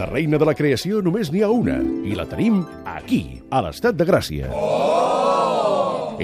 De reina de la creació només n'hi ha una, i la tenim aquí, a l'Estat de Gràcia.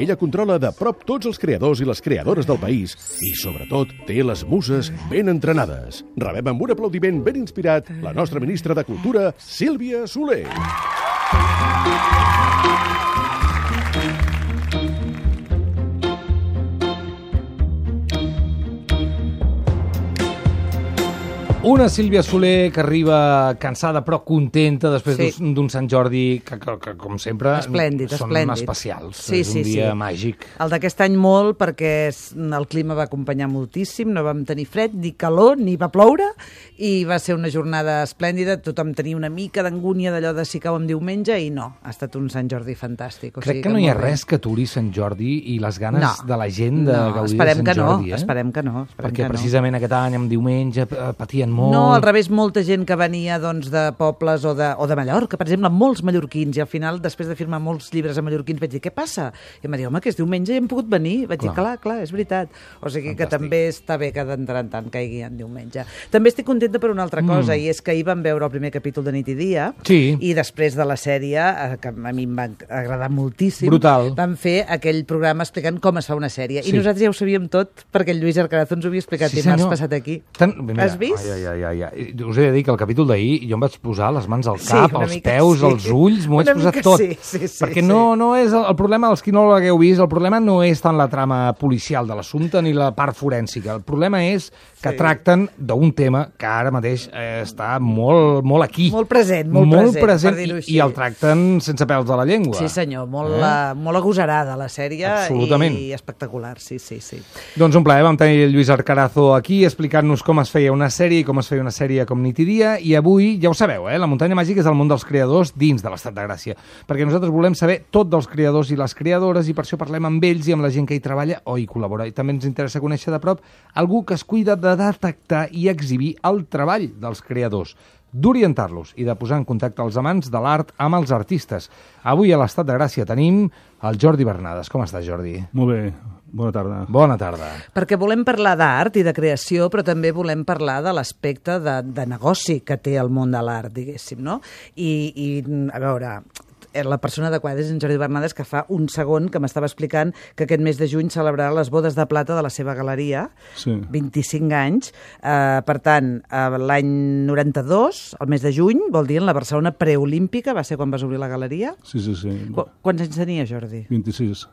Ella controla de prop tots els creadors i les creadores del país i, sobretot, té les muses ben entrenades. Rebem amb un aplaudiment ben inspirat la nostra ministra de Cultura, Sílvia Soler. Una Sílvia Soler que arriba cansada però contenta després d'un Sant Jordi que com sempre, són especials. És un dia màgic. El d'aquest any molt, perquè el clima va acompanyar moltíssim, no vam tenir fred, ni calor, ni va ploure, i va ser una jornada esplèndida. Tothom tenia una mica d'angúnia d'allò de si cau en diumenge, i no, ha estat un Sant Jordi fantàstic. Crec que no hi ha res que aturi Sant Jordi i les ganes de la gent de gaudir de Sant Jordi. Esperem que no. Perquè precisament aquest any, en diumenge, patien molt. No, al revés, molta gent que venia de pobles o de Mallorca, per exemple, molts mallorquins, i al final, després de firmar molts llibres a mallorquins, vaig dir, què passa? I em va dir, home, que és diumenge i hem pogut venir. Vaig dir, clar, és veritat. O sigui que també està bé que d'entrar en tant caigui en diumenge. També estic contenta per una altra cosa, i és que ahir vam veure el primer capítol de Nit i Dia, i després de la sèrie, que a mi em va agradar moltíssim, vam fer aquell programa explicant com es fa una sèrie. I nosaltres ja ho sabíem tot, perquè el Lluís Arcarazo ens ho havia explicat dimarts passat aquí. Has vist? Us he de dir que el capítol d'ahir jo em vaig posar les mans al cap, els peus, els ulls, m'ho vaig posar tot. Perquè no és el problema, els qui no l'hagueu vist, el problema no és tant la trama policial de l'assumpte ni la part forènsica. El problema és que tracten d'un tema que ara mateix està molt aquí. Molt present, per dir-ho així. I el tracten sense pèls de la llengua. Sí, senyor, molt agosarada la sèrie. Absolutament. I espectacular, sí. Doncs un plaer, vam tenir el Lluís Arcarazo aquí explicant-nos com es feia una sèrie i com es feia una sèrie com Nit i Dia, i avui, ja ho sabeu, la muntanya màgica és el món dels creadors dins de l'Estat de Gràcia, perquè nosaltres volem saber tot dels creadors i les creadores, i per això parlem amb ells i amb la gent que hi treballa o hi col·labora. I també ens interessa conèixer de prop algú que es cuida de detectar i exhibir el treball dels creadors, d'orientar-los i de posar en contacte els amants de l'art amb els artistes. Avui a l'Estat de Gràcia tenim el Jordi Bernades. Com estàs, Jordi? Molt bé. Bona tarda. Bona tarda. Perquè volem parlar d'art i de creació, però també volem parlar de l'aspecte de negoci que té el món de l'art, diguéssim, no? I a veure, la persona adequada és en Jordi Bernades, que fa un segon que m'estava explicant que aquest mes de juny celebrarà les bodes de plata de la seva galeria, 25 anys. Per tant, l'any 92, el mes de juny, vol dir en la Barcelona preolímpica, va ser quan vas obrir la galeria? Sí. Quants anys tenia, Jordi? 26.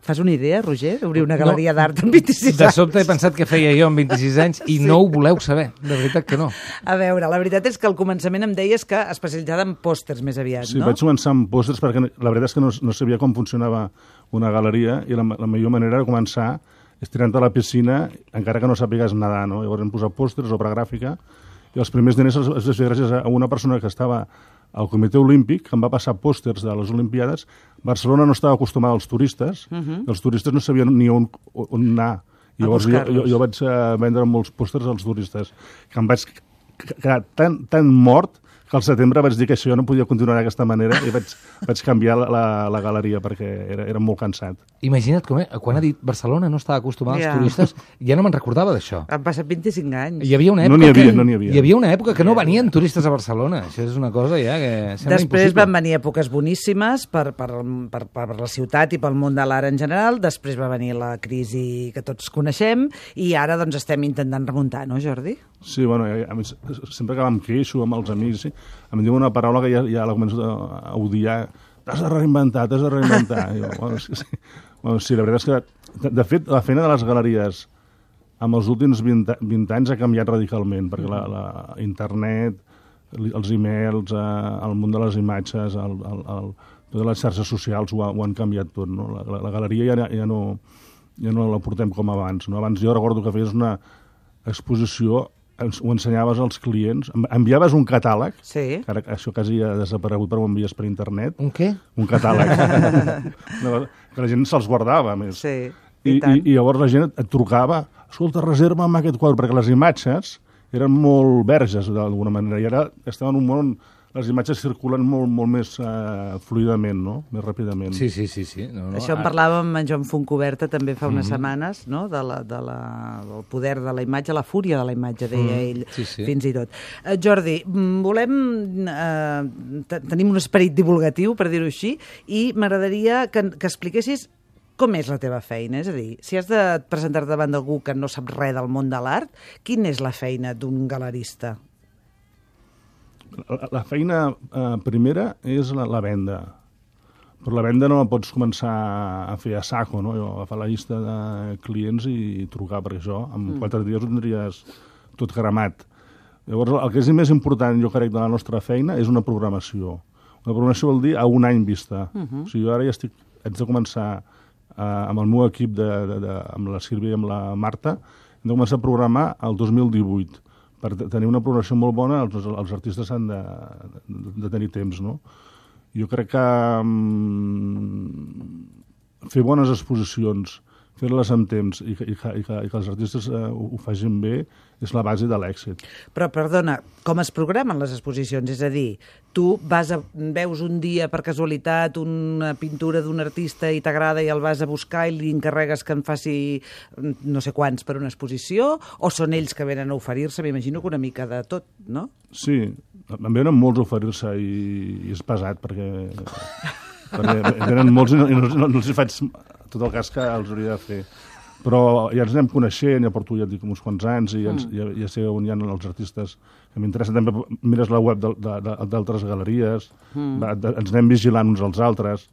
Fas una idea, Roger, d'obrir una galeria d'art amb 26 anys? De sobte he pensat que feia jo amb 26 anys i no ho voleu saber, de veritat que no. A veure, la veritat és que al començament em deies que especialitzada en pòsters més aviat, no? Sí, vaig començar amb pòsters perquè la veritat és que no sabia com funcionava una galeria, i la millor manera de començar és tirant a la piscina encara que no sàpigues nedar, no? Llavors hem posat pòsters, obra gràfica, i els primers diners els vaig fer gràcies a una persona que estava al Comitè Olímpic, que em va passar pòsters de les Olimpiades. Barcelona no estava acostumada als turistes, i els turistes no sabien ni on anar. Llavors jo vaig vendre molts pòsters als turistes, que em vaig quedar tan mort que al setembre vaig dir que això no podia continuar d'aquesta manera i vaig canviar la galeria perquè era molt cansat. Imagina't quan ha dit Barcelona no estava acostumada als turistes, ja no me'n recordava d'això. Han passat 25 anys. Hi havia una època no n'hi havia. Hi havia una època que no venien turistes a Barcelona. Això és una cosa ja que sembla després impossible. Van venir èpoques boníssimes per la ciutat i pel món de l'art en general, després va venir la crisi que tots coneixem i ara doncs estem intentant remuntar, no, Jordi? Sí, bueno, sempre que em queixo amb els amics, em diuen una paraula que ja la començo a odiar. T'has de reinventar. I jo, sí, la veritat és que, de fet, la feina de les galeries amb els últims 20 anys ha canviat radicalment, perquè la internet, els e-mails, el món de les imatges, totes les xarxes socials ho han canviat tot, no? La galeria ja no la portem com abans, no? Abans jo recordo que feies una exposició, ho ensenyaves als clients, enviaves un catàleg, que ara això quasi ha desaparegut, però ho envies per internet. Un què? Un catàleg. Que la gent se'ls guardava, a més. Sí, i llavors la gent et trucava, escolta, reserva'm aquest quadre, perquè les imatges eren molt verges, d'alguna manera, i ara estem en un món les imatges circulen molt més fluidament, no? Més ràpidament. Sí. No. Això en parlàvem amb en Joan Fontcoberta també fa unes setmanes, no? Del poder de la imatge, la fúria de la imatge, deia ell, fins i tot. Jordi, tenim un esperit divulgatiu, per dir-ho així, i m'agradaria que expliquessis com és la teva feina. És a dir, si has de presentar-te davant d'algú que no sap res del món de l'art, quina és la feina d'un galerista? La feina primera és la venda. Però la venda no la pots començar a fer a saco, no? A fer la llista de clients i trucar, perquè això, en 4 dies ho tindries tot cremat. Llavors, el que és més important, jo crec, de la nostra feina és una programació. Una programació vol dir a un any vista. O sigui, jo ara ja haig de començar amb el meu equip, amb la Sílvia i amb la Marta, hem de començar a programar el 2018. Per tenir una programació molt bona, els artistes han de tenir temps, no? Jo crec que fer bones exposicions, fer-les amb temps i que els artistes ho facin bé és la base de l'èxit. Però, perdona, com es programen les exposicions? És a dir, tu veus un dia per casualitat una pintura d'un artista i t'agrada i el vas a buscar i li encarregues que en faci no sé quants per una exposició, o són ells que venen a oferir-se? M'imagino que una mica de tot, no? Sí, em venen molts a oferir-se i és pesat perquè venen molts i no els faig tot el cas que els hauria de fer. Però ja ens anem coneixent, ja porto, ja dic, uns quants anys i ja sé on hi ha els artistes que m'interessen. També mires la web d'altres galeries, ens anem vigilant uns als altres.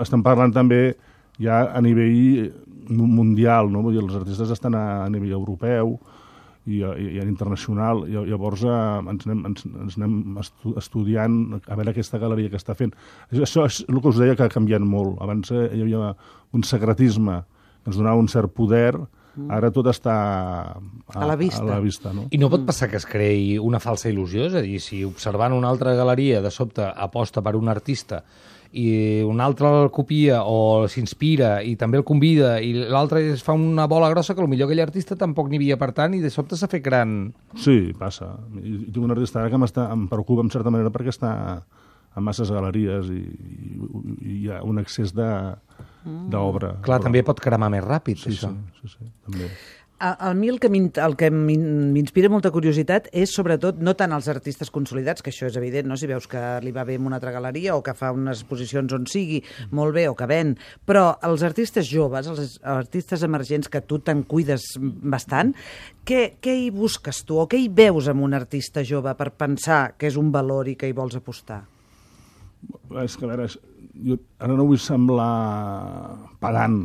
Estem parlant també ja a nivell mundial, no? Vull dir, els artistes estan a nivell europeu i internacional. Llavors ens anem estudiant a veure aquesta galeria que està fent. Això és el que us deia, que ha canviat molt. Abans hi havia un secretisme que ens donava un cert poder, ara tot està a la vista, no? I no pot passar que es creï una falsa il·lusió? És a dir, si observant una altra galeria de sobte aposta per un artista i un altre el copia o s'inspira i també el convida i l'altre es fa una bola grossa, que potser aquell artista tampoc n'hi havia per tant i de sobte s'ha fet gran. Sí, passa. I tinc un artista ara que em preocupa en certa manera perquè està a masses galeries i hi ha un excés d'obra. Clar, també pot cremar més ràpid, això. Sí, també. A mi el que m'inspira molta curiositat és, sobretot, no tant els artistes consolidats, que això és evident, no? Si veus que li va bé en una altra galeria o que fa unes exposicions on sigui molt bé o que ven, però els artistes joves, els artistes emergents, que tu te'n cuides bastant, què hi busques tu o què hi veus en un artista jove per pensar que és un valor i que hi vols apostar? És que, a veure, jo ara no vull semblar pedant.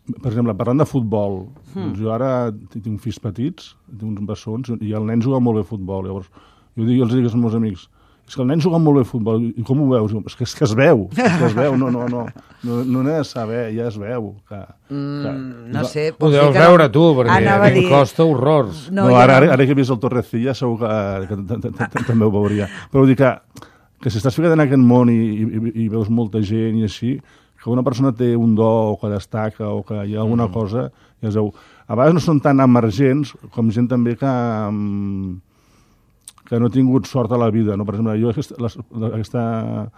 Per exemple, parlant de futbol, doncs jo ara tinc fills petits, tinc uns bessons, i el nen juga molt bé a futbol. Llavors, jo els dic als meus amics, és que el nen juga molt bé a futbol, i com ho veus? És que es veu, no n'he de saber, ja es veu. No sé... Ho deus veure tu, perquè a mi costa horrors. Ara que he vist el Torrecilla segur que també ho veuria. Però vull dir que si estàs ficat en aquest món i veus molta gent i així, que una persona té un do o que destaca o que hi ha alguna cosa, ja es veu. A vegades no són tan emergents com gent també que no ha tingut sort a la vida. No? Per exemple, jo aquest any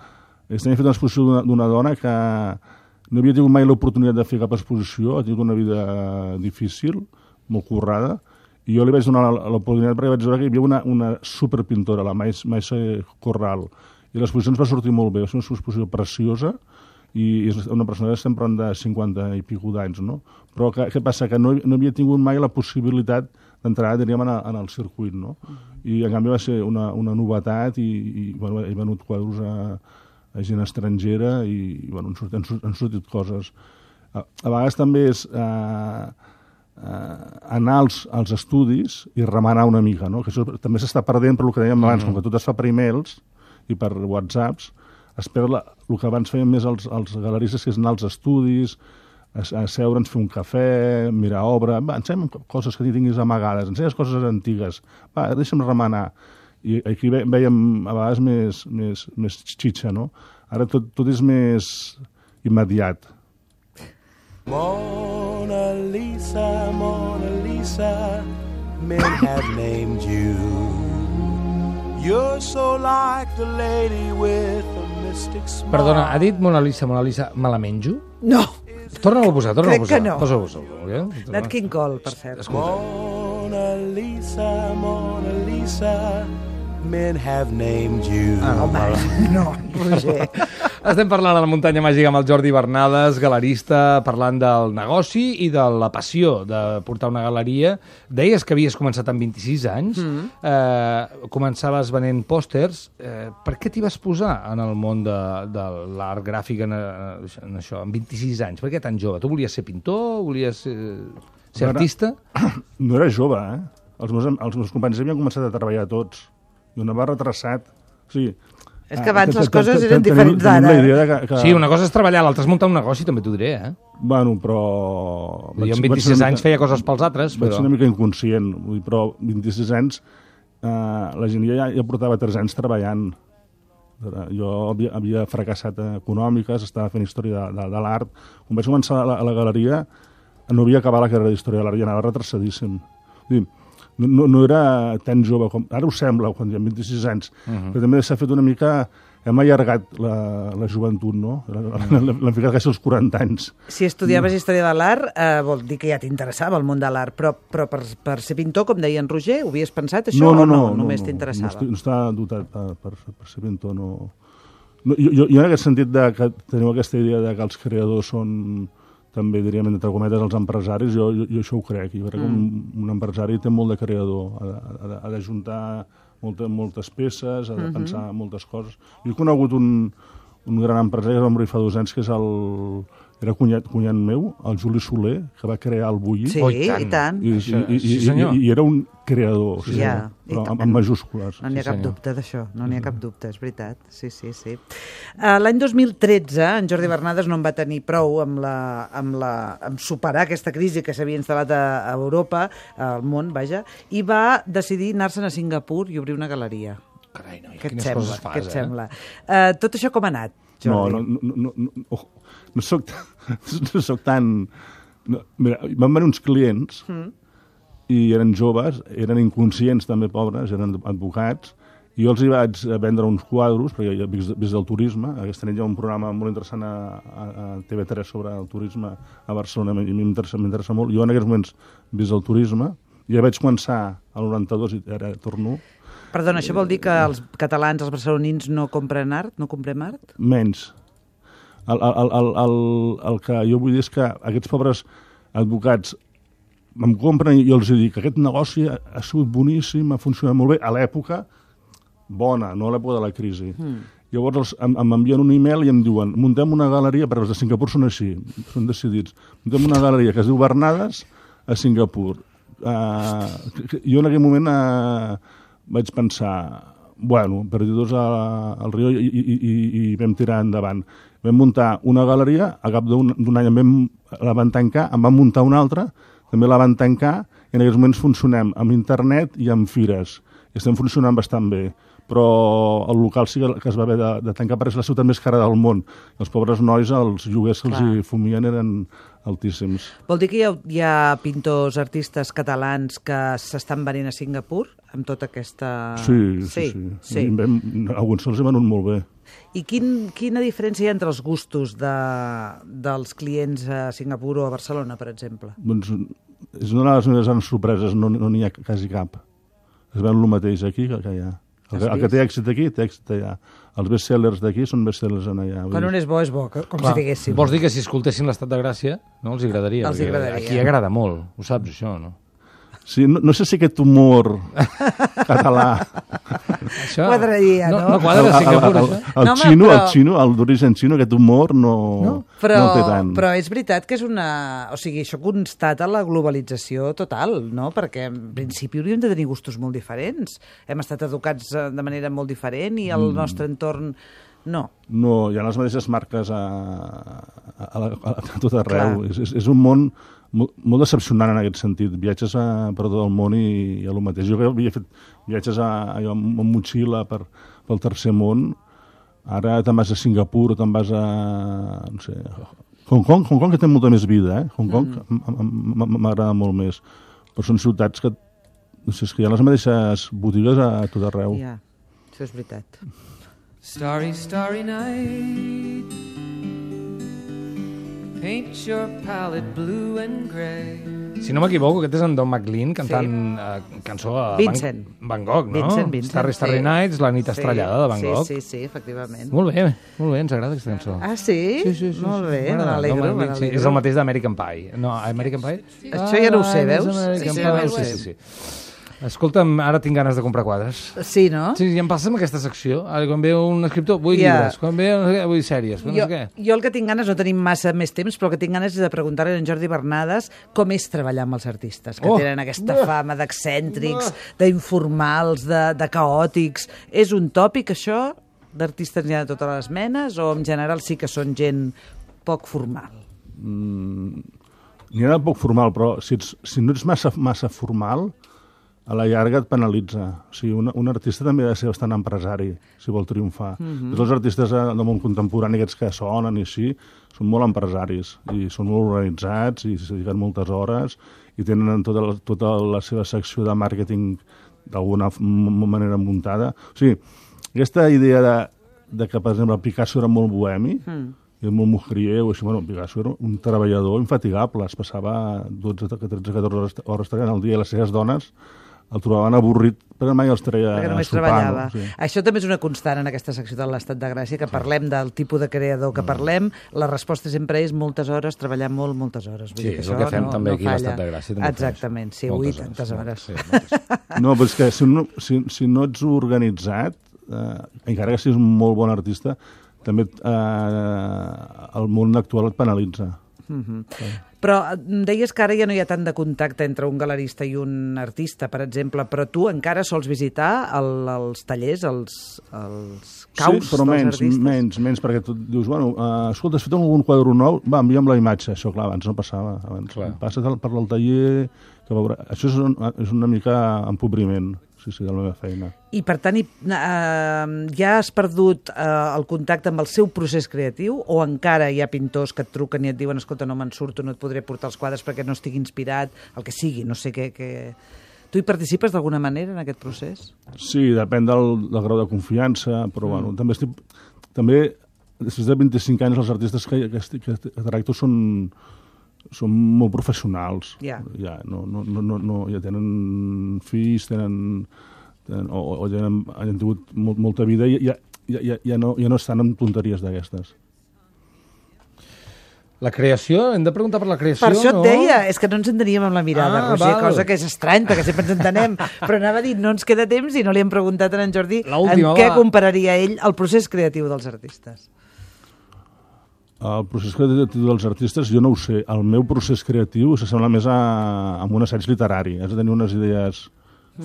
he fet una exposició d'una dona que no havia tingut mai l'oportunitat de fer cap exposició, ha tingut una vida difícil, molt currada, i jo li vaig donar l'oportunitat perquè vaig veure que hi havia una superpintora, la Maisa Corral, i l'exposició ens va sortir molt bé, va ser una exposició preciosa, i és una persona que estem parlant de 50 i pico d'anys, no? Però què passa? Que no havia tingut mai la possibilitat d'entrar, diríem, en el circuit, no? I en canvi va ser una novetat i he venut quadros a gent estrangera i bueno, han sortit coses. A vegades també és anar als estudis i remenar una mica, no? Que això també s'està perdent per el que dèiem abans, com que tot es fa per e-mails i per whatsapps, es perd el que abans feien més els galeristes, que és anar als estudis, asseure'ns, fer un cafè, mirar obra, ensenya'm coses que tinguis amagades, ensenya'm coses antigues, deixa'm remenar. I aquí veiem a vegades més xitxa, no? Ara tot és més immediat. Mona Lisa, men have named you You're so like the lady with a mystic smile. Perdona, ha dit Mona Lisa, me la menjo? No, Torna-ho a posar, Crec que no. Posa-ho. Nat King Cole, per cert. Mona Lisa, men have named you. No, Roger. Estem parlant a la muntanya màgica amb el Jordi Bernades, galerista, parlant del negoci i de la passió de portar una galeria. Deies que havies començat amb 26 anys, començaves venent pòsters. Per què t'hi vas posar en el món de l'art gràfic en això, amb 26 anys? Per què tan jove? Tu volies ser pintor? Volies ser artista? No era jove, eh? Els meus companys havien començat a treballar tots. I una va retrasat. O sigui, És que abans les coses eren diferents d'ara. Sí, una cosa és treballar, l'altra és muntar un negoci, també t'ho diré, eh? Bueno, però... Jo amb 26 anys feia coses pels altres, Vaig però... ser una mica inconscient, vull dir, però 26 anys la gent ja portava 3 anys treballant. Jo havia fracassat econòmiques, estava fent història de l'art. Quan vaig començar a la galeria no havia acabat la carrera d'història de l'art i anava retrasadíssim. Vull dir, no era tan jove com... Ara ho sembla, quan hi ha 26 anys. Però també s'ha fet una mica... Hem allargat la joventut, no? L'hem ficat quasi als 40 anys. Si estudiaves història de l'art, vol dir que ja t'interessava el món de l'art, però per ser pintor, com deia en Roger, ho havies pensat, això, o no? Només t'interessava? No estava dotat per ser pintor, no. Jo en aquest sentit que teniu aquesta idea de que els creadors són... també diríem, entre cometes, els empresaris, jo això ho crec. Jo crec que un empresari té molt de creador, ha d'ajuntar moltes peces, ha de pensar moltes coses. Jo he conegut un gran empresari que va morir fa 2 anys, que és era cunyat meu, el Juli Soler, que va crear el Bulli. Sí, i tant. I era un creador, però amb majúscules. No n'hi ha cap dubte d'això, no n'hi ha cap dubte, és veritat. Sí. L'any 2013, en Jordi Bernades no en va tenir prou amb superar aquesta crisi que s'havia instal·lat a Europa, al món, vaja, i va decidir anar-se'n a Singapur i obrir una galeria. Carai, noi, Què et quines coses fas, què et eh? sembla? Tot això com ha anat, Jordi? No soc tan... Mira, van venir uns clients i eren joves, eren inconscients també, pobres, eren advocats, i jo els hi vaig vendre uns quadros, perquè jo vist del turisme, aquesta nit hi ha un programa molt interessant a TV3 sobre el turisme a Barcelona, i m'interessa molt. Jo en aquests moments vist el turisme, ja vaig començar al 92 i ara torno. Perdona, això vol dir que els catalans, els barcelonins, no compren art? No comprem art? Menys. El que jo vull dir és que aquests pobres advocats em compren i jo els dic que aquest negoci ha sigut boníssim, ha funcionat molt bé, a l'època bona, no a l'època de la crisi. Llavors m'envien un email i em diuen muntem una galeria, perquè els de Singapur són així, són decidits, muntem una galeria que es diu Bernades a Singapur. Jo en aquell moment vaig pensar, bueno, perdidos al riu i vam tirar endavant. Vam muntar una galeria, a cap d'un any la van tancar, en van muntar una altra, també la van tancar, i en aquests moments funcionem amb internet i amb fires. I estem funcionant bastant bé. Però el local sí que es va haver de tancar perquè és la ciutat més cara del món. Els pobres nois, els lloguers que els hi fumien eren altíssims. Vol dir que hi ha pintors, artistes catalans que s'estan venint a Singapur amb tota aquesta... Sí. Alguns se'ls hi venut molt bé. I quina diferència hi ha entre els gustos dels clients a Singapur o a Barcelona, per exemple? Doncs és una de les meves grans sorpreses, no n'hi ha quasi cap. Es ven el mateix aquí que allà. El que té èxit aquí, té èxit allà. Els bestsellers d'aquí són bestsellers allà. Quan un és bo, com si diguéssim. Vols dir que si escoltessin l'Estat de Gràcia, no els agradaria? Els agradaria. Aquí agrada molt, ho saps, això, no? Sí, no sé si aquest humor català... Això... Quadraria, no? No quadra a Singapur, això? El xino, el d'origen xino, aquest humor no el té tant. Però és veritat que és una... O sigui, això constata la globalització total, no? Perquè en principi hauríem de tenir gustos molt diferents. Hem estat educats de manera molt diferent i el nostre entorn... No. No, hi ha les mateixes marques a tot arreu. És un món molt decepcionant en aquest sentit. Viatges per tot el món i el mateix. Jo havia fet viatges amb motxilla pel tercer món. Ara te'n vas a Singapur, te'n vas a... no sé... Hong Kong que té molta més vida, eh? Hong Kong m'agrada molt més. Però són ciutats que... No sé, és que hi ha les mateixes botigues a tot arreu. Ja. Això és veritat. Starry, starry night. Paint your palette blue and grey. Si no m'equivoco, aquest és en Don McLean cantant cançó a Vincent. Van Gogh, no? Vincent, Starry, Starry Nights, la nit estrellada de Van Gogh. Sí, efectivament. Molt bé, ens agrada aquesta cançó. Ah, sí? Sí. Molt bé, M'agrada. m'alegro. Don McLean, sí, és el mateix d'American Pie. No, American Pie? Això ja no ho sé, veus? American Sí, Pie, ja ho sé. sí. Escolta'm, ara tinc ganes de comprar quadres. Sí, no? Sí, i em passa amb aquesta secció. Ara, quan ve un escriptor, vull Ja. llibres. Quan ve no sé què, vull sèries. No sé què. Jo el que tinc ganes, no tenim massa més temps, però el que tinc ganes és de preguntar-li a en Jordi Bernades com és treballar amb els artistes, que tenen aquesta fama d'excèntrics, d'informals, de caòtics. És un tòpic, això? D'artistes n'hi ha de totes les menes? O en general sí que són gent poc formal? N'hi ha de poc formal, però si no ets massa formal, a la llarga et penalitza. O sigui, un artista també ha de ser bastant empresari, si vol triomfar. Tots els artistes del món contemporani, aquests que sonen i així, són molt empresaris i són molt organitzats i s'hi dediquen moltes hores i tenen tota la seva secció de màrqueting d'alguna manera muntada. O sigui, aquesta idea de que, per exemple, Picasso era molt bohemi, i molt mujerieu, així, bueno, Picasso era un treballador infatigable, es passava 12, 13, 14 hores treballant al dia i les seves dones el trobaven avorrit perquè mai els treia Perquè només a sopar. treballava. No? Sí. Això també és una constant en aquesta secció de l'Estat de Gràcia, que parlem del tipus de creador que parlem, la resposta sempre és moltes hores, treballar moltes hores. Vull Sí, dir és el que fem també aquí a falla. l'Estat de Gràcia. també ho fem Exactament, sí, això. ui, Moltes tantes hores. Sí, moltes. No, però és que si no ets organitzat, encara que siguis un molt bon artista, també el món actual et penalitza. Però em deies que ara ja no hi ha tant de contacte entre un galerista i un artista, per exemple, però tu encara sols visitar els tallers, els caus sí, però dels artistes? menys, perquè tu dius, bueno, escolta, has fet algun quadre nou? Va, envia'm la imatge. Això, clar, abans no passava. Abans passes per el taller... Que veurà. Això és una mica empobriment, sí, de la meva feina. I, per tant, ja has perdut el contacte amb el seu procés creatiu o encara hi ha pintors que et truquen i et diuen escolta, no me'n surto, no et podré portar els quadres perquè no estic inspirat, el que sigui, no sé què... Tu hi participes d'alguna manera en aquest procés? Sí, depèn del grau de confiança, però bueno, també després de 25 anys els artistes que tracto són molt professionals. Ja. Ja tenen fills, han tingut molta vida i ja no estan en tonteries d'aquestes. La creació? Hem de preguntar per la creació, Per això no? et deia, és que no ens enteníem amb la mirada, Roger, val. cosa que és estrany, perquè sempre ens entenem, però anava a dir, no ens queda temps i no li hem preguntat a en Jordi L'última, en què va. compararia ell el procés creatiu dels artistes. El procés creatiu dels artistes, jo no ho sé. El meu procés creatiu s'assembla més a un assaig literari. Has de tenir unes idees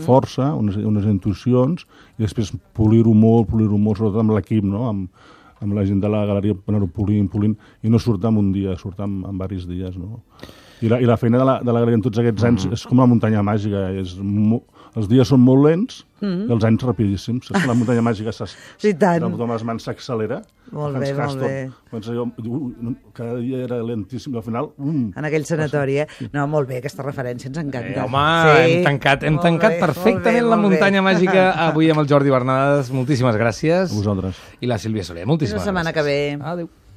força, unes intuïcions, i després polir-ho molt, sobretot amb l'equip, no? Amb la gent de la galeria, anar-ho polint, i no surt en un dia, surt en diversos dies, no? I la feina de la galeria en tots aquests anys és com la muntanya màgica. Els dies són molt lents i els anys rapidíssims. Saps que la muntanya màgica Sí, tant. amb les mans s'accelera. Molt bé, molt bé. Cada dia era lentíssim, i al final... En aquell sanatori, No, molt bé, aquesta referència ens encanta. Home, Sí. hem tancat Molt bé, perfectament molt la bé, muntanya molt bé. màgica avui amb el Jordi Bernades. Moltíssimes gràcies. A vosaltres. I la Sílvia Soler, Fins moltíssimes la setmana gràcies. que ve. Adéu.